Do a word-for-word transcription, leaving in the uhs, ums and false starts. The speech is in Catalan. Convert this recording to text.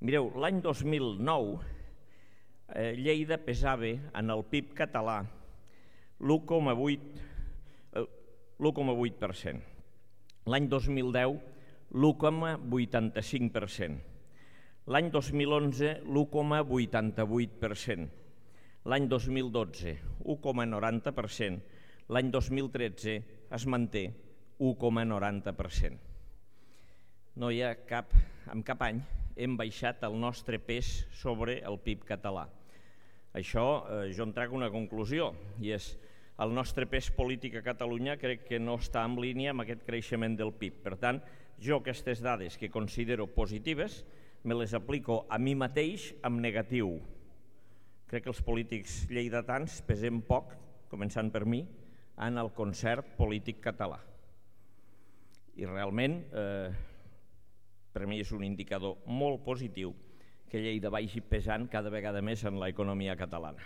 Mireu, l'any dos mil nou Lleida pesava en el P I B català l'u coma vuit per cent. L'any dos mil deu, l'u coma vuitanta-cinc per cent. L'any dos mil onze, l'u coma vuitanta-vuit per cent. L'any dos mil dotze, u coma noranta per cent. L'any dos mil tretze es manté u coma noranta per cent. No hi ha cap, en cap any hem baixat el nostre pes sobre el P I B català. Això eh, jo en trac una conclusió, i és el nostre pes polític a Catalunya crec que no està en línia amb aquest creixement del P I B. Per tant, jo aquestes dades que considero positives me les aplico a mi mateix en negatiu. Crec que els polítics lleidatans pesem poc, començant per mi, en el concert polític català. I realment, eh, per mi és un indicador molt positiu que Lleida vagi pesant cada vegada més en l'economia catalana.